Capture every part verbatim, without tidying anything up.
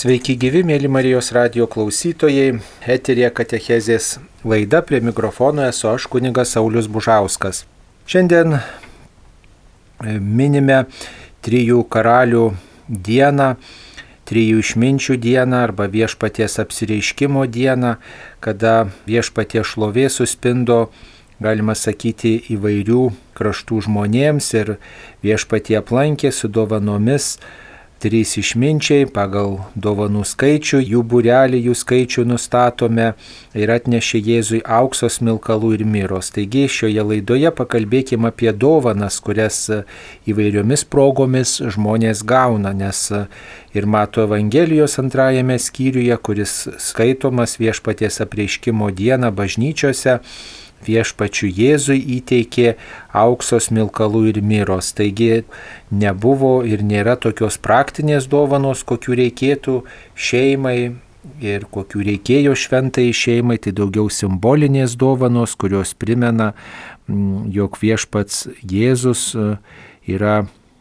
Sveiki gyvi, mėly Marijos radijo klausytojai, eteryje katechezės laida, prie mikrofono esu aš, kunigas Saulius Bužauskas. Šiandien minime trijų karalių dieną, trijų išminčių dieną arba viešpaties apsireiškimo dieną, kada viešpaties šlovė suspindo, galima sakyti, įvairių kraštų žmonėms ir viešpatie aplankė su dovanomis trys išminčiai pagal dovanų skaičių, jų būrelį, jų skaičių nustatome ir atnešė Jėzui aukso, smilkalų ir miros. Taigi šioje laidoje pakalbėkime apie dovanas, kurias įvairiomis progomis žmonės gauna, nes ir Mato Evangelijos antrajame skyriuje, kuris skaitomas viešpaties apreiškimo dieną bažnyčiose, viešpačiu Jėzui įteikė aukso, smilkalų ir miros. Taigi nebuvo ir nėra tokios praktinės dovanos, kokių reikėtų šeimai ir kokių reikėjo šventai šeimai, tai daugiau simbolinės dovanos, kurios primena, jog viešpats Jėzus yra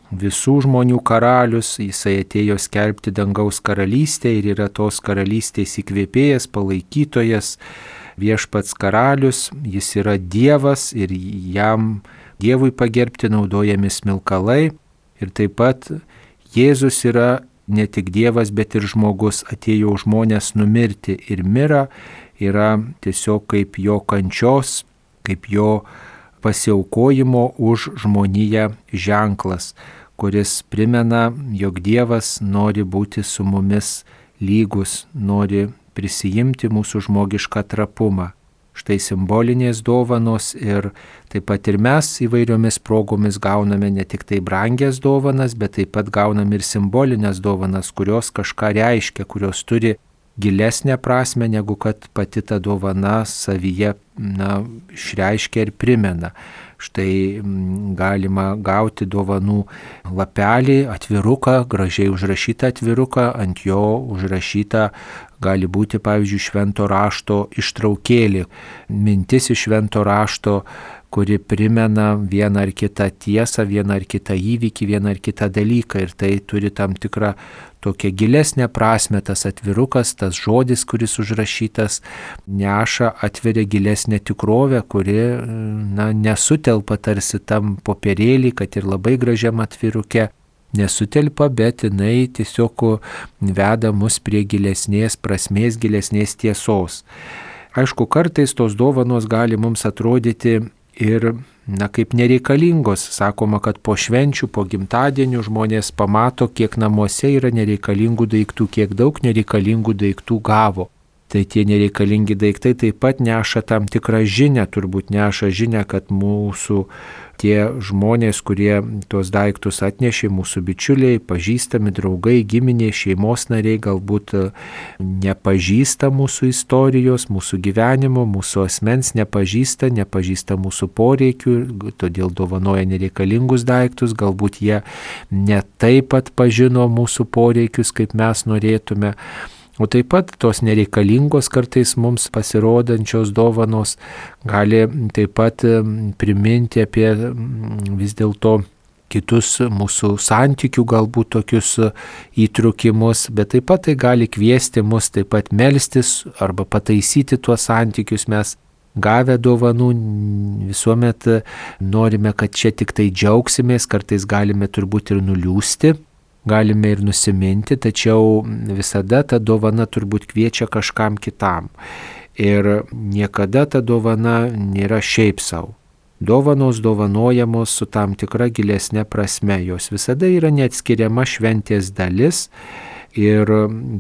visų žmonių karalius, jisai atėjo skelbti dangaus karalystę ir yra tos karalystės įkvėpėjas, palaikytojas, viešpats karalius, jis yra Dievas ir jam, Dievui pagerbti naudojami smilkalai. Ir taip pat Jėzus yra ne tik Dievas, bet ir žmogus, atėjo žmonės numirti ir mira yra tiesiog kaip jo kančios, kaip jo pasiaukojimo už žmoniją ženklas, kuris primena, jog Dievas nori būti su mumis lygus, nori prisijimti mūsų žmogišką trapumą. Štai simbolinės dovanos ir taip pat ir mes įvairiomis progomis gauname ne tik tai brangias dovanas, bet taip pat gauname ir simbolinės dovanas, kurios kažką reiškia, kurios turi gilesnę prasme, negu kad pati ta dovana savyje na, išreiškia ir primena. Štai galima gauti dovanų lapelį, atviruką, gražiai užrašytą atviruką, ant jo užrašyta gali būti, pavyzdžiui, švento rašto ištraukėlė, mintis iš švento rašto, kuri primena vieną ar kitą tiesą, vieną ar kitą įvykį, vieną ar kitą dalyką. Ir tai turi tam tikrą tokią gilesnę prasme, tas atvirukas, tas žodis, kuris užrašytas, neša, atveria gilesnę tikrovę, kuri na, nesutelpa tarsi tam popierėlį, kad ir labai gražiam atviruke nesutelpa, bet jinai tiesiog veda mus prie gilesnės prasmės, gilesnės tiesos. Aišku, kartais tos dovanos gali mums atrodyti ir, na, kaip nereikalingos. Sakoma, kad po švenčių, po gimtadienių žmonės pamato, kiek namuose yra nereikalingų daiktų, kiek daug nereikalingų daiktų gavo. Tai tie nereikalingi daiktai taip pat neša tam tikrą žinią, turbūt neša žinią, kad mūsų tie žmonės, kurie tuos daiktus atnešė, mūsų bičiuliai, pažįstami, draugai, giminiai, šeimos nariai, galbūt nepažįsta mūsų istorijos, mūsų gyvenimo, mūsų asmens nepažįsta, nepažįsta mūsų poreikių, todėl dovanoja nereikalingus daiktus, galbūt jie ne taip pat pažino mūsų poreikius, kaip mes norėtume. O taip pat tos nereikalingos kartais mums pasirodančios dovanos gali taip pat priminti apie vis dėlto kitus mūsų santykių galbūt tokius įtrukimus, bet taip pat tai gali kviesti mus taip pat melstis arba pataisyti tuos santykius. Mes gavę dovanų visuomet norime, kad čia tik tai džiaugsimės, kartais galime turbūt ir nuliūsti. Galime ir nusiminti, tačiau visada ta dovana turbūt kviečia kažkam kitam. Ir niekada ta dovana nėra šiaip savo. Dovanos dovanojamos su tam tikra gilesnė prasme. Jos visada yra neatskiriama šventės dalis ir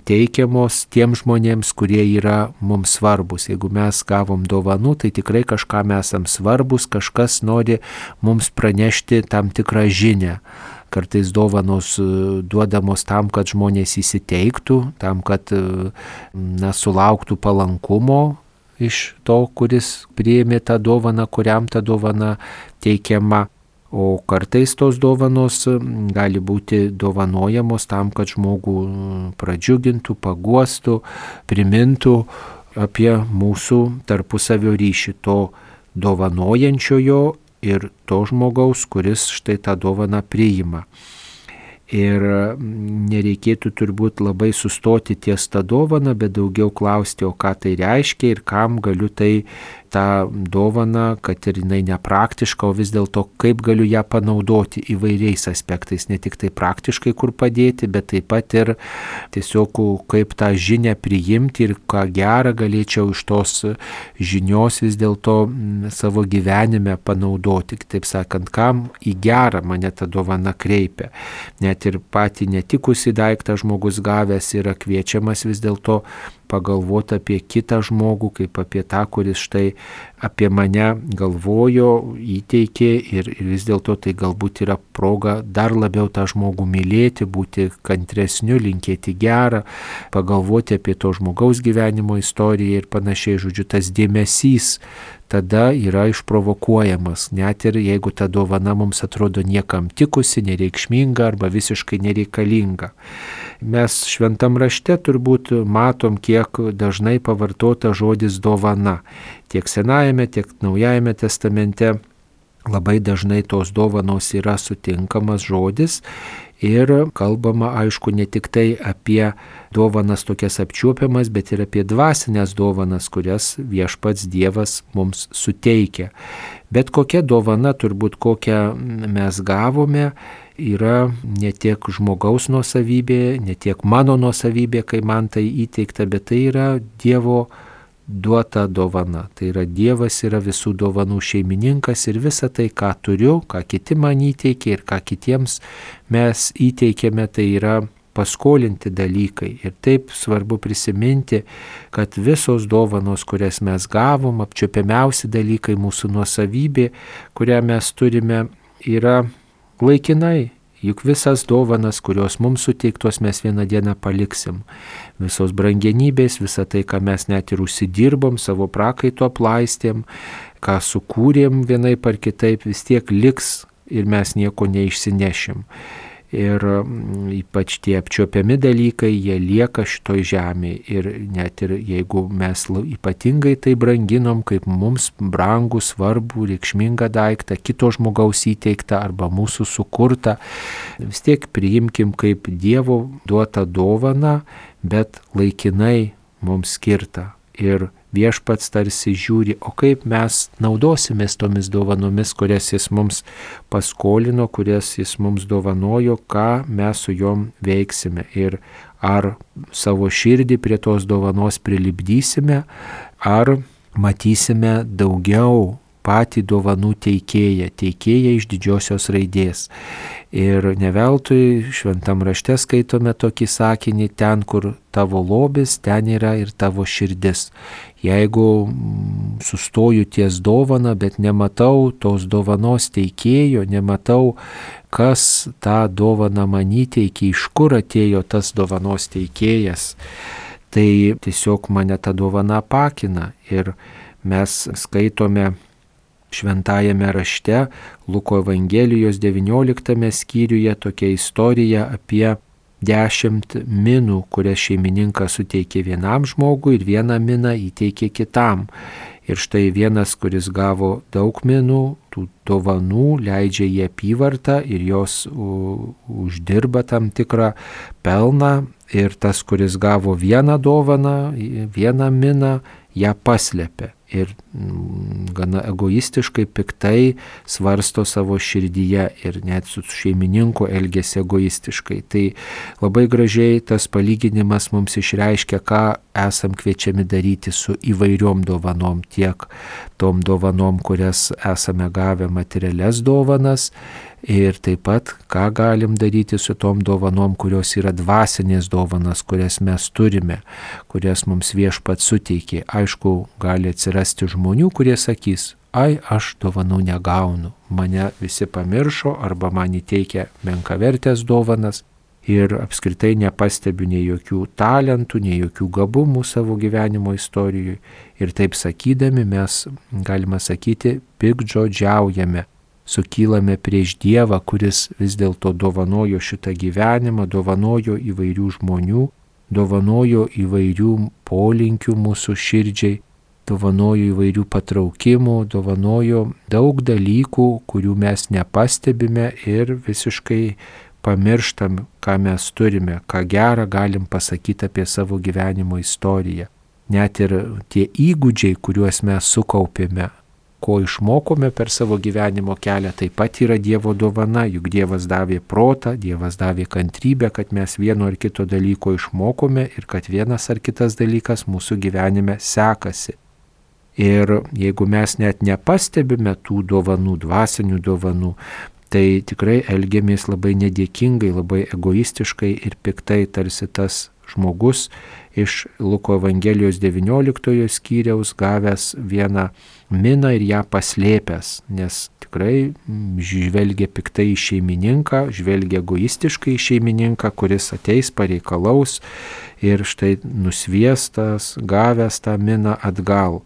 teikiamos tiem žmonėms, kurie yra mums svarbus. Jeigu mes gavom dovanų, tai tikrai kažkam esam svarbus, kažkas nori mums pranešti tam tikrą žinią. Kartais dovanos duodamos tam, kad žmonės įsiteiktų, tam, kad na, sulauktų palankumo iš to, kuris priėmė tą dovaną, kuriam ta dovana teikiama. O kartais tos dovanos gali būti dovanojamos tam, kad žmogų pradžiugintų, paguostų, primintų apie mūsų tarpusavio ryšį, to dovanojančiojo ir to žmogaus, kuris štai tą dovaną priima. Ir nereikėtų turbūt labai sustoti ties tą dovaną, bet daugiau klausti, o ką tai reiškia ir kam galiu tai tą dovaną, kad ir jinai nepraktiška, o vis dėlto kaip galiu ją panaudoti įvairiais aspektais, ne tik tai praktiškai kur padėti, bet taip pat ir tiesiog kaip tą žinią priimti ir ką gerą galėčiau iš tos žinios vis dėlto savo gyvenime panaudoti. Taip sakant, kam į gerą mane ta dovana kreipia. Net ir patį netikusį daiktą žmogus gavęs yra kviečiamas vis dėlto pagalvoti apie kitą žmogų, kaip apie tą, kuris štai apie mane galvojo, įteikė ir, ir vis dėlto tai galbūt yra proga dar labiau tą žmogų mylėti, būti kantresniu, linkėti gerą, pagalvoti apie to žmogaus gyvenimo istoriją ir panašiai. Žodžiu, tas dėmesys tada yra išprovokuojamas, net ir jeigu ta dovana mums atrodo niekam tikusi, nereikšminga arba visiškai nereikalinga. Mes šventam rašte turbūt matom, kiek dažnai pavartota žodis dovana. Tiek Senajame, tiek Naujajame testamente labai dažnai tos dovanos yra sutinkamas žodis ir kalbama, aišku, ne tik tai apie dovanas tokias apčiuopiamas, bet ir apie dvasinės dovanas, kurias viešpats Dievas mums suteikia. Bet kokia dovana, turbūt kokią mes gavome, yra ne tiek žmogaus nuosavybė, ne tiek mano nuosavybė, kai man tai įteikta, bet tai yra Dievo duota dovana. Tai yra Dievas yra visų dovanų šeimininkas ir visa tai, ką turiu, ką kiti man įteikė ir ką kitiems mes įteikėme, tai yra paskolinti dalykai. Ir taip svarbu prisiminti, kad visos dovanos, kurias mes gavom, apčiuopiamiausi dalykai, mūsų nuosavybė, kurią mes turime, yra laikinai. Juk visas dovanas, kurios mums suteiktos, mes vieną dieną paliksim. Visos brangenybės, visa tai, ką mes net ir užsidirbom, savo prakaito aplaistėm, ką sukūrėm vienaip ar kitaip, vis tiek liks ir mes nieko neišsinešim. Ir ypač tie apčiuopiami dalykai, jie lieka šitoj žemėje. Ir net ir jeigu mes ypatingai tai branginom, kaip mums brangų, svarbų, reikšmingą daiktą, kito žmogaus įteiktą arba mūsų sukurtą, vis tiek priimkim kaip Dievo duotą dovaną, bet laikinai mums skirtą. Ir viešpats tarsi žiūri, o kaip mes naudosimės tomis dovanomis, kurias jis mums paskolino, kurias jis mums dovanojo, ką mes su jom veiksime. Ir ar savo širdį prie tos dovanos prilipdysime, ar matysime daugiau patį dovanų teikėją, teikėją iš didžiosios raidės. Ir neveltui šventam rašte skaitome tokį sakinį, ten, kur tavo lobis, ten yra ir tavo širdis. Jeigu sustoju ties dovana, bet nematau tos dovanos teikėjo, nematau, kas tą dovaną man įteikė, iš kur atėjo tas dovanos teikėjas, tai tiesiog mane ta dovana apakina. Ir mes skaitome šventajame rašte, Luko Evangelijos devynioliktame skyriuje, tokia istorija apie dešimt minų, kurias šeimininkas suteikė vienam žmogui ir vieną miną įteikė kitam. Ir štai vienas, kuris gavo daug minų, tų dovanų, leidžia į apyvartą ir jos u, uždirba tam tikrą pelną. Ir tas, kuris gavo vieną dovaną, vieną miną, ją paslėpė. Ir gana egoistiškai, piktai svarsto savo širdyje ir net su šeimininku elgėsi egoistiškai. Tai labai gražiai tas palyginimas mums išreiškia, ką esam kviečiami daryti su įvairiom dovanom, tiek tom dovanom, kurias esame gavę materialias dovanas, ir taip pat, ką galim daryti su tom dovanom, kurios yra dvasinės dovanas, kurias mes turime, kurias mums viešpats suteikė. Aišku, gali atsirasti žmonių, kurie sakys, ai, aš dovanų negaunu, mane visi pamiršo arba man įteikia menkavertės dovanas ir apskritai nepastebiu nei jokių talentų, nei jokių gabumų savo gyvenimo istorijoje. Ir taip sakydami mes, galima sakyti, piktžodžiaujame. Sukylame prieš Dievą, kuris vis dėlto dovanojo šitą gyvenimą, dovanojo įvairių žmonių, dovanojo įvairių polinkių mūsų širdžiai, dovanojo įvairių patraukimų, dovanojo daug dalykų, kurių mes nepastebime ir visiškai pamirštam, ką mes turime, ką gerą galim pasakyti apie savo gyvenimo istoriją. Net ir tie įgūdžiai, kuriuos mes sukaupėme, ko išmokome per savo gyvenimo kelią, taip pat yra Dievo dovana, juk Dievas davė protą, Dievas davė kantrybę, kad mes vieno ar kito dalyko išmokome ir kad vienas ar kitas dalykas mūsų gyvenime sekasi. Ir jeigu mes net nepastebime tų dovanų, dvasinių dovanų, tai tikrai elgiamės labai nedėkingai, labai egoistiškai ir piktai, tarsi tas žmogus iš Luko Evangelijos devynioliktojo skyriaus gavęs vieną miną ir ją paslėpęs, nes tikrai žvelgia piktai į šeimininką, žvelgia egoistiškai į šeimininką, kuris ateis pareikalaus ir štai nusviestas, gavęs tą miną atgal.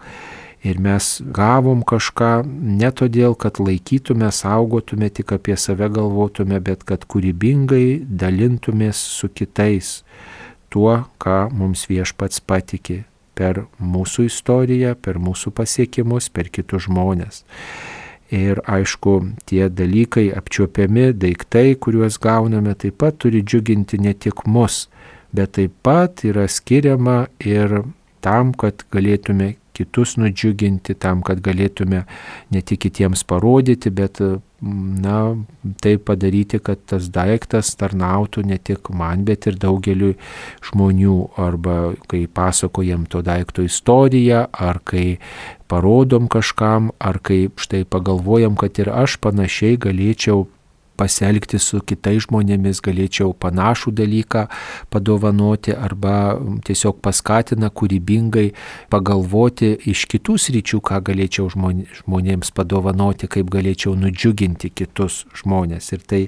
Ir mes gavom kažką ne todėl, kad laikytume, saugotume, tik apie save galvotume, bet kad kūrybingai dalintumės su kitais tuo, ką mums Viešpats patikė per mūsų istoriją, per mūsų pasiekimus, per kitus žmonės. Ir aišku, tie dalykai apčiuopiami, daiktai, kuriuos gauname, taip pat turi džiuginti ne tik mus, bet taip pat yra skiriama ir tam, kad galėtume kitus nudžiuginti, tam, kad galėtume ne tik kitiems parodyti, bet na, tai padaryti, kad tas daiktas tarnautų ne tik man, bet ir daugeliu žmonių, arba kai pasakojam to daikto istoriją, ar kai parodom kažkam, ar kai štai pagalvojam, kad ir aš panašiai galėčiau pasielgti su kitais žmonėmis, galėčiau panašų dalyką padovanoti arba tiesiog paskatina kūrybingai pagalvoti iš kitų sričių, ką galėčiau žmonėms padovanoti, kaip galėčiau nudžiuginti kitus žmonės. Ir tai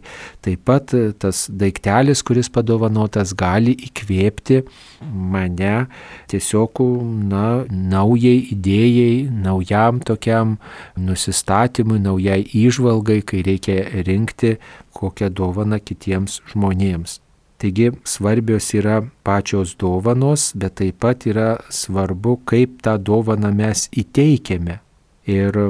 taip pat tas daiktelis, kuris padovanotas, gali įkvėpti mane tiesiog na, naujai idėjai, naujam tokiam nusistatymui, naujai įžvalgai, kai reikia rinkti kokią dovaną kitiems žmonėms. Taigi svarbios yra pačios dovanos, bet taip pat yra svarbu, kaip tą dovaną mes įteikiame. Ir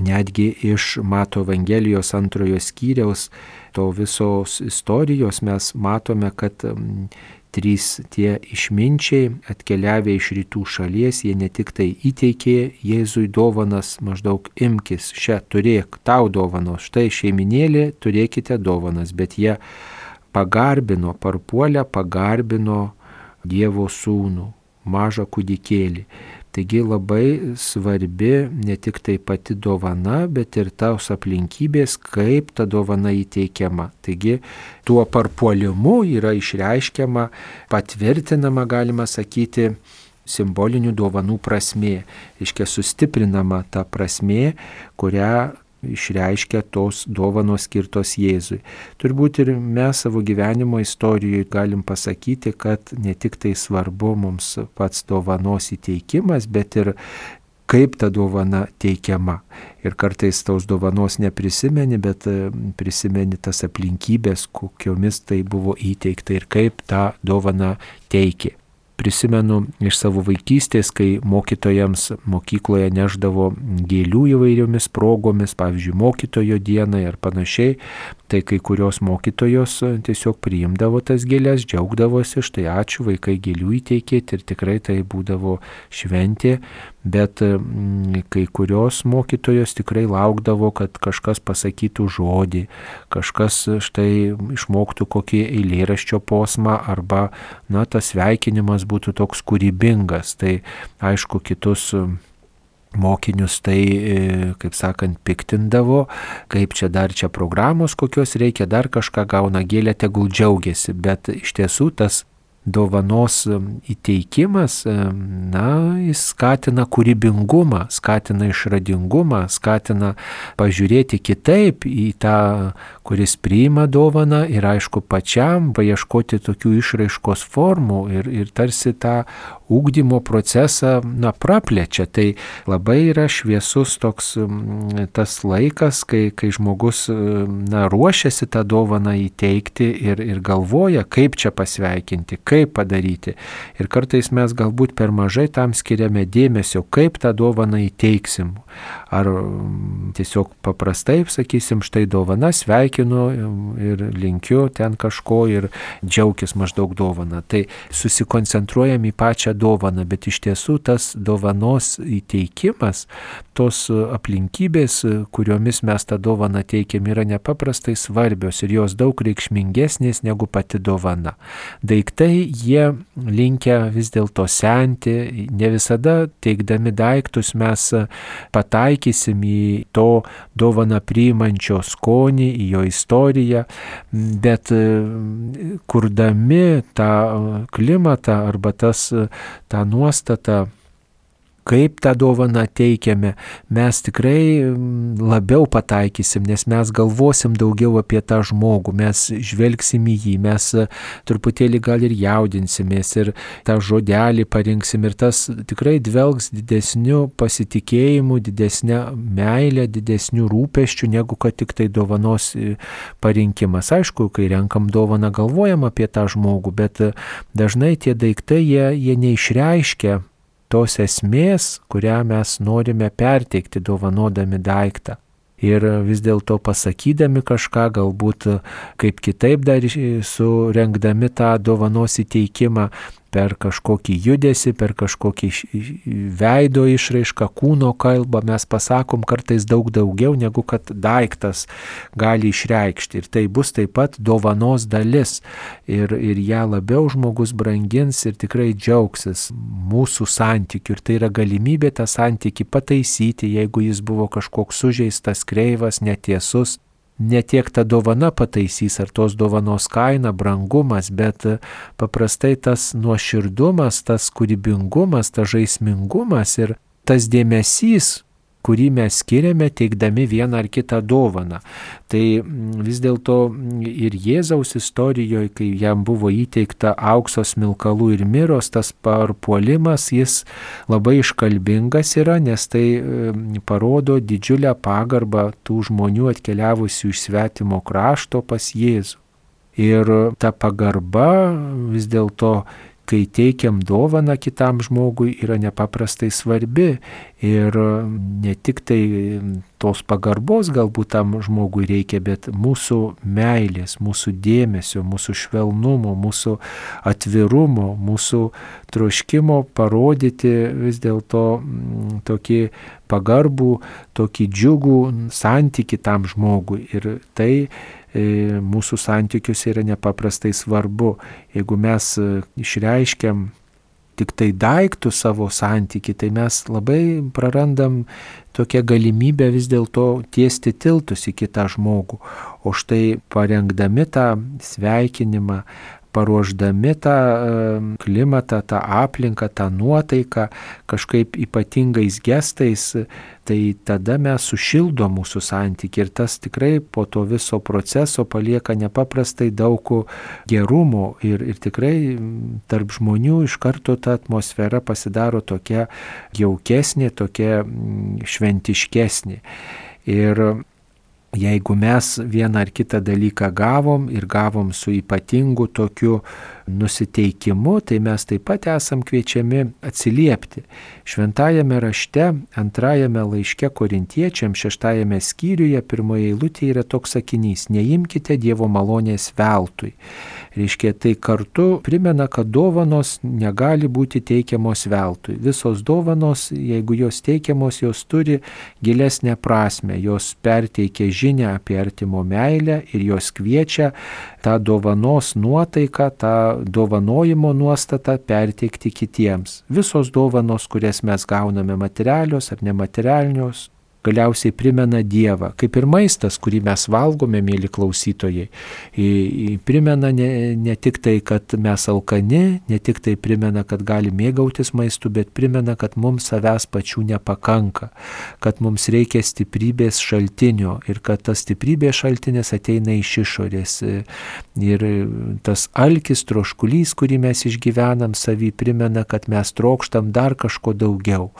netgi iš Mato Evangelijos antrojo skyriaus to visos istorijos mes matome, kad trys tie išminčiai atkeliavę iš rytų šalies, jie ne tik tai įteikė Jėzui dovanas, maždaug imkis, šią turėk, tau dovanos, štai šeiminėlė, turėkite dovanas, bet jie pagarbino, parpuolę pagarbino Dievo sūnų, mažą kūdikėlį. Taigi labai svarbi ne tik tai pati dovana, bet ir tos aplinkybės, kaip ta dovana įteikiama. Taigi tuo parpuolimu yra išreiškiama, patvirtinama, galima sakyti, simbolinių dovanų prasmė. Iškia sustiprinama ta prasmė, kurią išreiškia tos dovanos skirtos Jėzui. Turbūt ir mes savo gyvenimo istorijoje galim pasakyti, kad ne tik tai svarbu mums pats dovanos įteikimas, bet ir kaip ta dovana teikiama. Ir kartais tos dovanos neprisimeni, bet prisimeni tas aplinkybės, kokiomis tai buvo įteikta ir kaip tą dovaną teikė. Prisimenu iš savo vaikystės, kai mokytojams mokykloje neždavo gėlių įvairiomis progomis, pavyzdžiui, mokytojo dienai ar panašiai, tai kai kurios mokytojos tiesiog priimdavo tas gėlės, džiaugdavosi, štai ačiū, vaikai gėlių įteikėti ir tikrai tai būdavo šventė, bet kai kurios mokytojos tikrai laukdavo, kad kažkas pasakytų žodį, kažkas štai išmoktų kokį eilėraščio posmą arba, na, tas sveikinimas būtų toks kūrybingas. Tai aišku, kitus mokinius tai, kaip sakant, piktindavo, kaip čia dar čia programos kokios reikia, dar kažką gauna gėlę, tegul džiaugiasi, bet iš tiesų tas dovanos įteikimas, na, jis skatina kūrybingumą, skatina išradingumą, skatina pažiūrėti kitaip į tą, kuris priima dovaną ir aišku pačiam paieškoti tokių išraiškos formų ir, ir tarsi tą ugdymo procesą, na, praplečia. Tai labai yra šviesus toks tas laikas, kai, kai žmogus, na, ruošiasi tą dovaną įteikti ir, ir galvoja, kaip čia pasveikinti, kaip kaip padaryti. Ir kartais mes galbūt per mažai tam skiriame dėmesio, kaip tą dovaną įteiksim. Ar tiesiog paprastai sakysim, štai dovana, sveikinu ir linkiu ten kažko ir džiaugis maždaug dovana. Tai susikoncentruojam į pačią dovaną, bet iš tiesų tas dovanos įteikimas, tos aplinkybės, kuriomis mes tą dovaną teikiam, yra nepaprastai svarbios ir jos daug reikšmingesnės negu pati dovana. Daiktai, jie linkę vis dėlto senti, ne visada teikdami daiktus mes pataikysim į to dovaną priimančio skonį, į jo istoriją, bet kurdami tą klimatą arba tas, tą nuostatą, kaip tą dovaną teikiame, mes tikrai labiau pataikysim, nes mes galvosim daugiau apie tą žmogų, mes žvelgsim į jį, mes truputėlį gal ir jaudinsimės ir tą žodelį parinksim ir tas tikrai dvelgs didesniu pasitikėjimu, didesnė meilė, didesniu rūpesčiu, negu kad tik tai dovanos parinkimas. Aišku, kai renkam dovaną, galvojam apie tą žmogų, bet dažnai tie daiktai, jie, jie neišreiškia tos esmės, kurią mes norime perteikti dovanodami daiktą. Ir vis dėlto pasakydami kažką, galbūt kaip kitaip dar surengdami tą dovanos įteikimą, per kažkokį judesį, per kažkokį veido išraišką, kūno kalbą, mes pasakom kartais daug daugiau, negu kad daiktas gali išreikšti. Ir tai bus taip pat dovanos dalis. Ir, ir ją labiau žmogus brangins ir tikrai džiaugsis mūsų santykiu. Ir tai yra galimybė tą santykį pataisyti, jeigu jis buvo kažkoks sužeistas, kreivas, netiesus. Ne tiek ta dovana pataisys ar tos dovanos kaina, brangumas, bet paprastai tas nuoširdumas, tas kūrybingumas, tas žaismingumas ir tas dėmesys, kurį mes skiriame teikdami vieną ar kitą dovaną. Tai vis dėlto ir Jėzaus istorijoje, kai jam buvo įteikta aukso, smilkalų ir miros, tas parpuolimas, jis labai iškalbingas yra, nes tai parodo didžiulę pagarbą tų žmonių atkeliavusių iš svetimo krašto pas Jėzų. Ir ta pagarba vis dėlto, kai teikiam dovaną kitam žmogui, yra nepaprastai svarbi ir ne tik tai tos pagarbos galbūt tam žmogui reikia, bet mūsų meilės, mūsų dėmesio, mūsų švelnumo, mūsų atvirumo, mūsų troškimo parodyti vis dėlto tokį pagarbų, tokį džiugų santykį tam žmogui. Ir tai mūsų santykiuose yra nepaprastai svarbu. Jeigu mes išreiškiam tik tai daiktų savo santykį, tai mes labai prarandam tokią galimybę vis dėlto tiesti tiltus į kitą žmogų. O štai parengdami tą sveikinimą, paruošdami tą klimatą, tą aplinką, tą nuotaiką kažkaip ypatingais gestais, tai tada mes sušildo mūsų santykį ir tas tikrai po to viso proceso palieka nepaprastai daug gerumo ir, ir tikrai tarp žmonių iš karto ta atmosfera pasidaro tokia jaukesnė, tokia šventiškesnė. Ir jeigu mes vieną ar kitą dalyką gavom ir gavom su ypatingu tokiu nusiteikimu, tai mes taip pat esam kviečiami atsiliepti. Šventajame rašte, antrajame laiške Korintiečiams, šeštajame skyriuje, pirmoje eilutėje yra toks sakinys: neimkite Dievo malonės veltui. Reiškia, tai kartu primena, kad dovanos negali būti teikiamos veltui. Visos dovanos, jeigu jos teikiamos, jos turi gilesnę prasme, jos perteikia žinią apie artimo meilę ir jos kviečia tą dovanos nuotaiką, tą dovanojimo nuostatą perteikti kitiems. Visos dovanos, kurias mes gauname, materialios ar nematerialios, galiausiai primena Dievą, kaip ir maistas, kurį mes valgome, mėly klausytojai. Primena ne, ne tik tai, kad mes alkani, ne tik tai primena, kad gali mėgautis maistu, bet primena, kad mums savęs pačių nepakanka, kad mums reikia stiprybės šaltinio ir kad tas stiprybės šaltinis ateina iš išorės. Ir tas alkis, troškulys, kurį mes išgyvenam savį, primena, kad mes trokštam dar kažko daugiau.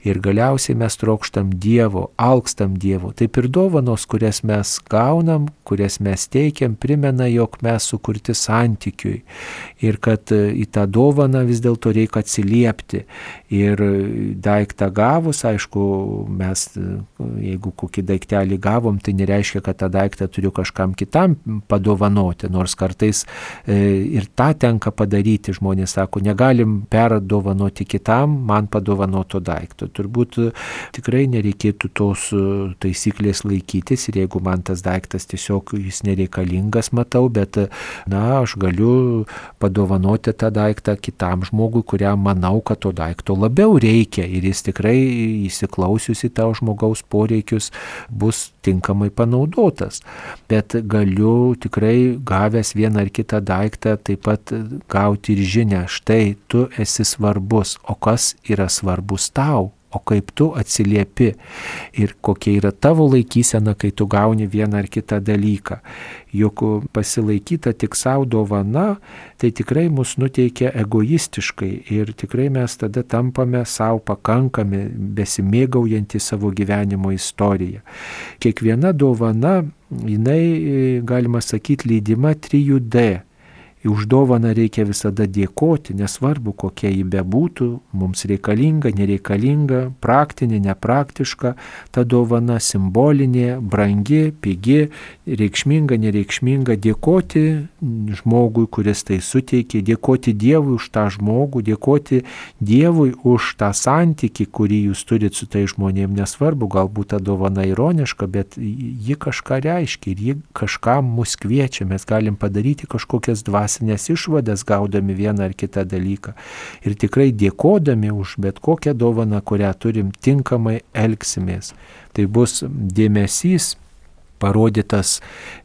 Ir galiausiai mes trokštam Dievo Dievo, alkstam Dievo. Taip ir dovanos, kurias mes gaunam, kurias mes teikiam, primena, jog mes sukurti santykiui ir kad į tą dovaną vis dėlto reikia atsiliepti. Ir daiktą gavus, aišku, mes, jeigu kokį daiktelį gavom, tai nereiškia, kad tą daiktą turiu kažkam kitam padovanoti, nors kartais ir tą tenka padaryti. Žmonės sako, negalim perdovanoti kitam man padovanoto daikto. Turbūt tikrai nereikėtų tos taisyklės laikytis ir jeigu man tas daiktas tiesiog jis nereikalingas, matau, bet na, aš galiu padovanoti tą daiktą kitam žmogui, kuriam manau, kad to daikto labiau reikia ir jis tikrai įsiklausius į tą žmogaus poreikius bus tinkamai panaudotas. Bet galiu tikrai gavęs vieną ar kitą daiktą taip pat gauti ir žinią, štai tu esi svarbus, o kas yra svarbus tau? O kaip tu atsiliepi ir kokia yra tavo laikysena, kai tu gauni vieną ar kitą dalyką. Juk pasilaikyta tik savo dovana, tai tikrai mus nuteikia egoistiškai ir tikrai mes tada tampame savo pakankami, besimėgaujantį savo gyvenimo istoriją. Kiekviena dovana, jinai, galima sakyti, lydima trijų D. Už dovaną reikia visada dėkoti, nesvarbu kokia ji bebūtų, mums reikalinga, nereikalinga, praktinė, nepraktiška, ta dovana simbolinė, brangi, pigi, reikšminga, nereikšminga, dėkoti žmogui, kuris tai suteikė, dėkoti Dievui už tą žmogų, dėkoti Dievui už tą santykį, kurį jūs turit su tai žmonėm, nesvarbu, galbūt ta dovana ironiška, bet ji kažką reiškia ir ji kažkam mus kviečia, mes galim padaryti kažkokias dvasinės nes išvadas gaudami vieną ar kitą dalyką ir tikrai dėkodami už bet kokią dovaną, kurią turim, tinkamai elgsimės. Tai bus dėmesys parodytas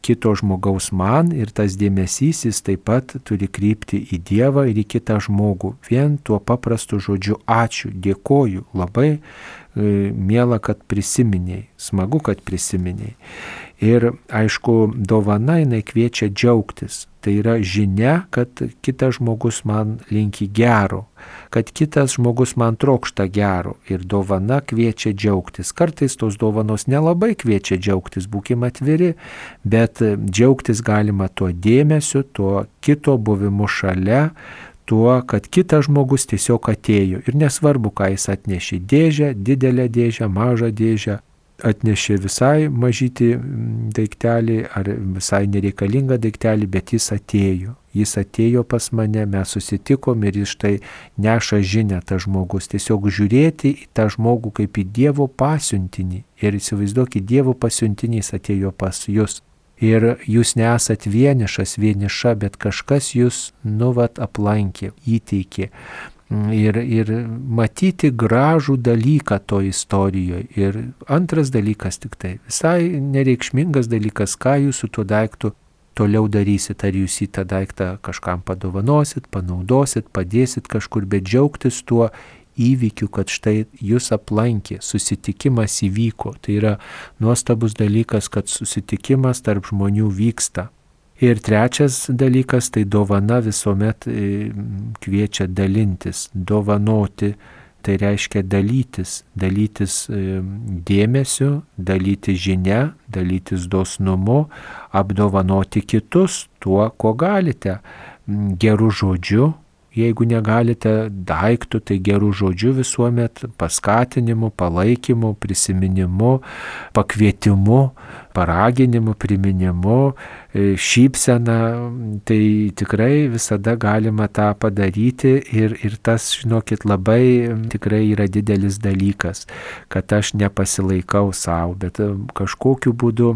kito žmogaus man ir tas dėmesys jis taip pat turi krypti į Dievą ir į kitą žmogų. Vien tuo paprastu žodžiu ačiū, dėkoju, labai e, miela, kad prisiminiai, smagu, kad prisiminiai. Ir aišku, dovana jinai kviečia džiaugtis. Tai yra žinia, kad kitas žmogus man linki gero, kad kitas žmogus man trokšta gero ir dovana kviečia džiaugtis. Kartais tos dovanos nelabai kviečia džiaugtis, būkime atviri, bet džiaugtis galima tuo dėmesiu, tuo kito buvimu šalia, tuo, kad kitas žmogus tiesiog atėjo ir nesvarbu, ką jis atnešė, dėžę, didelę dėžę, mažą dėžę, atnešė visai mažytį daiktelį ar visai nereikalingą daiktelį, bet jis atėjo. Jis atėjo pas mane, mes susitikom ir jis štai neša žinią tą žmogus. Tiesiog žiūrėti į tą žmogų kaip į Dievo pasiuntinį. Ir įsivaizduokit, Dievo pasiuntinys atėjo pas jūs. Ir jūs nesat vienišas, vieniša, bet kažkas jūs nuvat aplankė, įteikė. Ir, ir matyti gražų dalyką to istorijoje. Ir antras dalykas tik tai, visai nereikšmingas dalykas, ką jūs su tuo daiktu toliau darysit. Ar jūs į tą daiktą kažkam padovanosit, panaudosit, padėsit kažkur, bet džiaugtis tuo įvykiu, kad štai jūs aplankė, susitikimas įvyko. Tai yra nuostabus dalykas, kad susitikimas tarp žmonių vyksta. Ir trečias dalykas, tai dovana visuomet kviečia dalintis, dovanoti, tai reiškia dalytis, dalytis dėmesiu, dalytis žinia, dalytis dosnumu, apdovanoti kitus tuo, ko galite, gerų žodžių. Jeigu negalite daiktų, tai gerų žodžių visuomet, paskatinimu, palaikymu, prisiminimu, pakvietimu, paraginimu, priminimu, šypsena, tai tikrai visada galima tą padaryti ir, ir tas, žinokit, labai tikrai yra didelis dalykas, kad aš nepasilaikau savo, bet kažkokiu būdu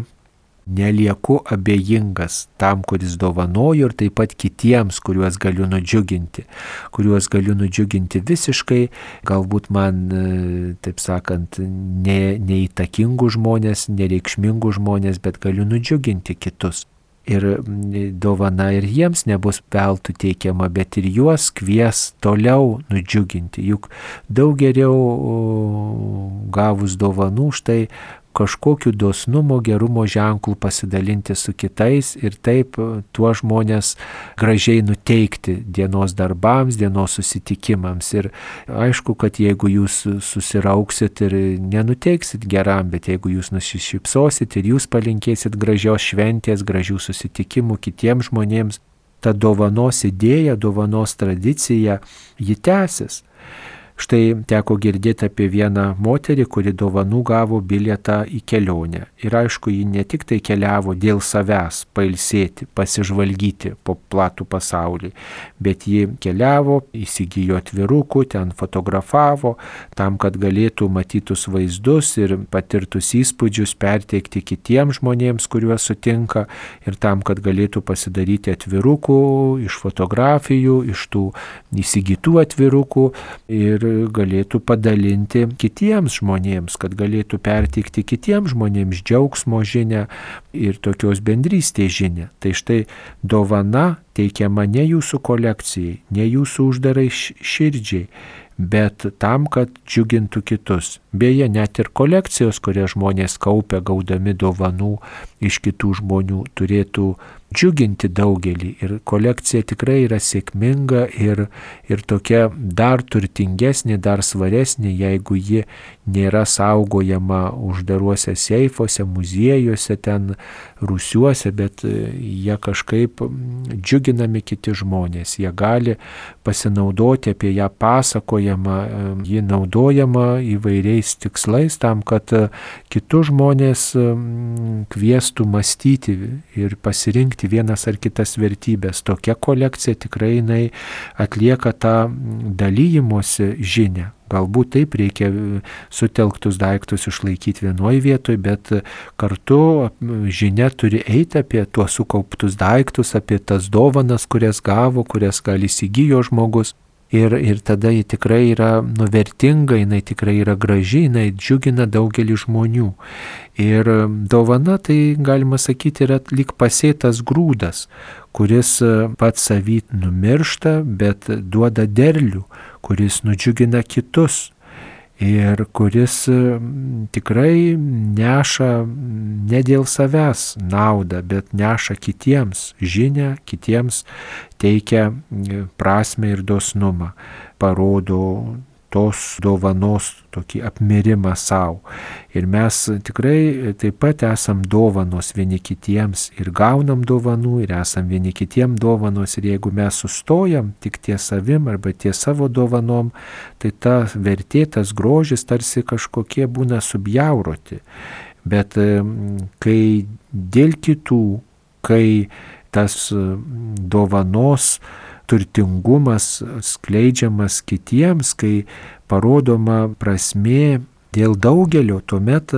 nelieku abejingas tam, kuris dovanoju ir taip pat kitiems, kuriuos galiu nudžiuginti, kuriuos galiu nudžiuginti visiškai, galbūt man, taip sakant, ne, neįtakingų žmonės, nereikšmingų žmonės, bet galiu nudžiuginti kitus. Ir dovana ir jiems nebus veltui teikiama, bet ir juos kvies toliau nudžiuginti. Juk daug geriau gavus dovanų štai kažkokiu dosnumo, gerumo ženklų pasidalinti su kitais ir taip tuo žmonės gražiai nuteikti dienos darbams, dienos susitikimams. Ir aišku, kad jeigu jūs susirauksit ir nenuteiksit geram, bet jeigu jūs nusišypsosit ir jūs palinkėsit gražios šventės, gražių susitikimų kitiems žmonėms, ta dovanos idėja, dovanos tradicija, ji tęsis. Štai teko girdėti apie vieną moterį, kuri dovanų gavo bilietą į kelionę. Ir aišku, ji ne tik tai keliavo dėl savęs pailsėti, pasižvalgyti po platų pasaulį, bet ji keliavo, įsigijo atvirukų, ten fotografavo, tam, kad galėtų matytus vaizdus ir patirtus įspūdžius perteikti kitiems žmonėms, kuriuos sutinka, ir tam, kad galėtų pasidaryti atvirukų iš fotografijų, iš tų įsigytų atvirukų ir galėtų padalinti kitiems žmonėms, kad galėtų perteikti kitiems žmonėms džiaugsmo žinią ir tokios bendrystės žinią. Tai štai dovana teikiama ne jūsų kolekcijai, ne jūsų uždarai širdžiai, bet tam, kad džiugintų kitus. Beje, net ir kolekcijos, kurias žmonės kaupia gaudami dovanų iš kitų žmonių, turėtų džiuginti daugelį. Ir kolekcija tikrai yra sėkminga ir, ir tokia dar turtingesnė, dar svaresnė, jeigu ji nėra saugojama uždaruose seifuose, muziejuose, ten rūsiuose, bet jie kažkaip džiuginami kiti žmonės. Jie gali pasinaudoti, apie ją pasakojama, ji naudojama įvairiais tikslais tam, kad kitus žmonės kviestų mąstyti ir pasirinkti vienas ar kitas vertybės. Tokia kolekcija tikrai jinai atlieka tą dalyjimosi žinią. Galbūt taip reikia sutelktus daiktus išlaikyti vienoje vietoje, bet kartu žinia turi eiti apie tuos sukauptus daiktus, apie tas dovanas, kurias gavo, kurias gal įsigijo žmogus. Ir, ir tada ji tikrai yra nuvertinga, jinai tikrai yra graži, jinai džiugina daugelį žmonių. Ir dovana, tai galima sakyti, yra lyg pasėtas grūdas, kuris pats savy numiršta, bet duoda derlių, kuris nudžiugina kitus. Ir kuris tikrai neša ne dėl savęs naudą, bet neša kitiems žinią, kitiems teikia prasmę ir dosnumą, parodo tos dovanos tokį apmirimą savo. Ir mes tikrai taip pat esam dovanos vieni kitiems ir gaunam dovanų ir esam vieni kitiem dovanos. Ir jeigu mes sustojam tik ties savim arba ties savo dovanom, tai ta vertė, tas grožis tarsi kažkokie būna subjauroti. Bet kai dėl kitų, kai tas dovanos turtingumas skleidžiamas kitiems, kai parodoma prasmė dėl daugelio, tuomet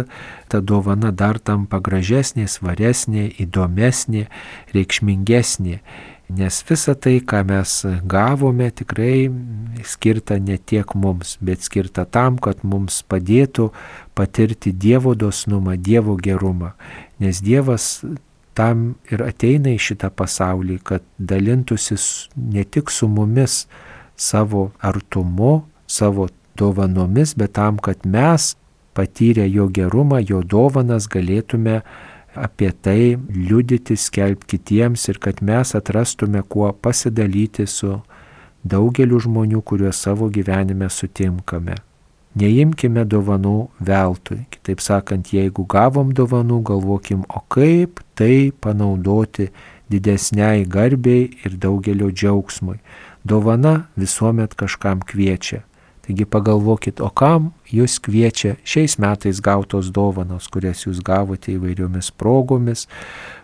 ta dovana dar tampa gražesnė, svaresnė, įdomesnė, reikšmingesnė. Nes visa tai, ką mes gavome, tikrai skirta ne tiek mums, bet skirta tam, kad mums padėtų patirti Dievo dosnumą, Dievo gerumą. Nes Dievas tam ir ateina į šitą pasaulį, kad dalintųsi ne tik su mumis savo artumu, savo dovanomis, bet tam, kad mes patyrę jo gerumą, jo dovanas galėtume apie tai liudyti, skelbti kitiems ir kad mes atrastume kuo pasidalyti su daugeliu žmonių, kuriuos savo gyvenime sutinkame. Neimkime dovanų veltui. Kitaip sakant, jeigu gavom dovanų, galvokim, o kaip tai panaudoti didesniai garbei ir daugelio džiaugsmui. Dovana visuomet kažkam kviečia. Taigi pagalvokit, o kam jūs kviečia šiais metais gautos dovanos, kurias jūs gavote įvairiomis progomis,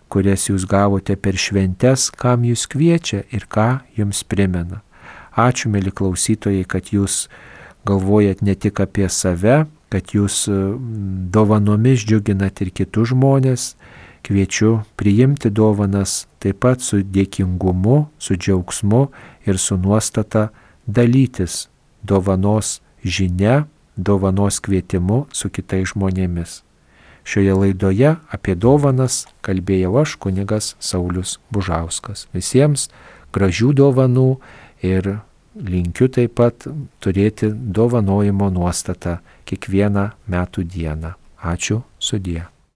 kurias jūs gavote per šventes, kam jūs kviečia ir ką jums primena. Ačiū, mieli klausytojai, kad jūs galvojat ne tik apie save, kad jūs dovanomis džiuginat ir kitus žmonės. Kviečiu priimti dovanas taip pat su dėkingumu, su džiaugsmu ir su nuostata dalytis dovanos žinia, dovanos kvietimu su kitais žmonėmis. Šioje laidoje apie dovanas kalbėjau aš, kunigas Saulius Bužauskas. Visiems gražių dovanų ir linkiu taip pat turėti dovanojimo nuostatą kiekvieną metų dieną. Ačiū, sudie.